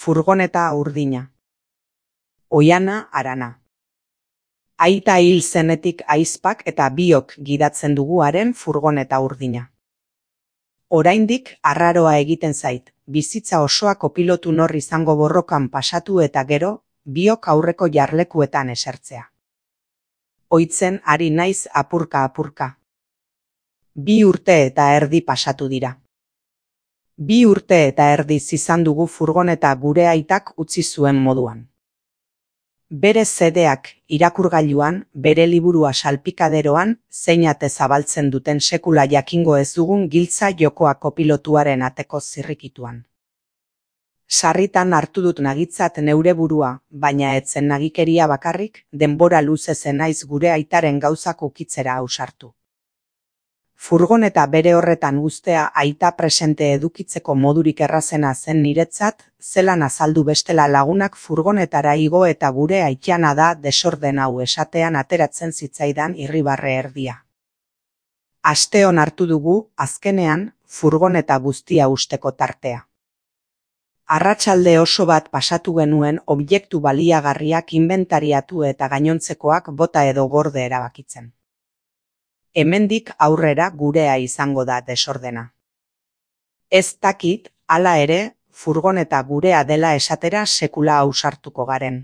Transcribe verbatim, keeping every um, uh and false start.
Furgoneta urdina. Oiana Arana. Aita hil zenetik aizpak eta biok gidatzen dugu haren furgoneta urdina. Oraindik arraroa egiten zait, bizitza osoa kopilotu nor izango borrokan pasatu eta gero, biok aurreko jarlekuetan esertzea. Oitzen ari naiz apurka-apurka. Bi urte eta erdi pasatu dira. Bi urte eta erdi izan dugu furgoneta gure aitak utzi zuen moduan. Bere zedeak irakurgailuan, bere liburua salpikaderoan, zeinate zabaltzen duten sekula jakingo ez dugun giltza jokoa kopilotuaren ateko zirrikituan. Sarritan hartu dut nagitzat neure burua, baina etzen nagikeria bakarrik, denbora luze zenaiz gure aitaren gauzak ukitzera ausartu. Furgoneta bere horretan uztea aita presente edukitzeko modurik errazena zen niretzat, zelan azaldu bestela lagunak furgonetara igo eta gure aitana da desorden hau esatean ateratzen zitzaidan irribarre erdia. Asteon hartu dugu, azkenean, furgoneta guztia usteko tartea. Arratsalde oso bat pasatu genuen objektu baliagarriak inbentariatu eta gainontzekoak bota edo gorde erabakitzen. Hemendik aurrera gurea izango da desordena. Ez dakit, hala ere, furgoneta gurea dela esatera sekula ausartuko garen.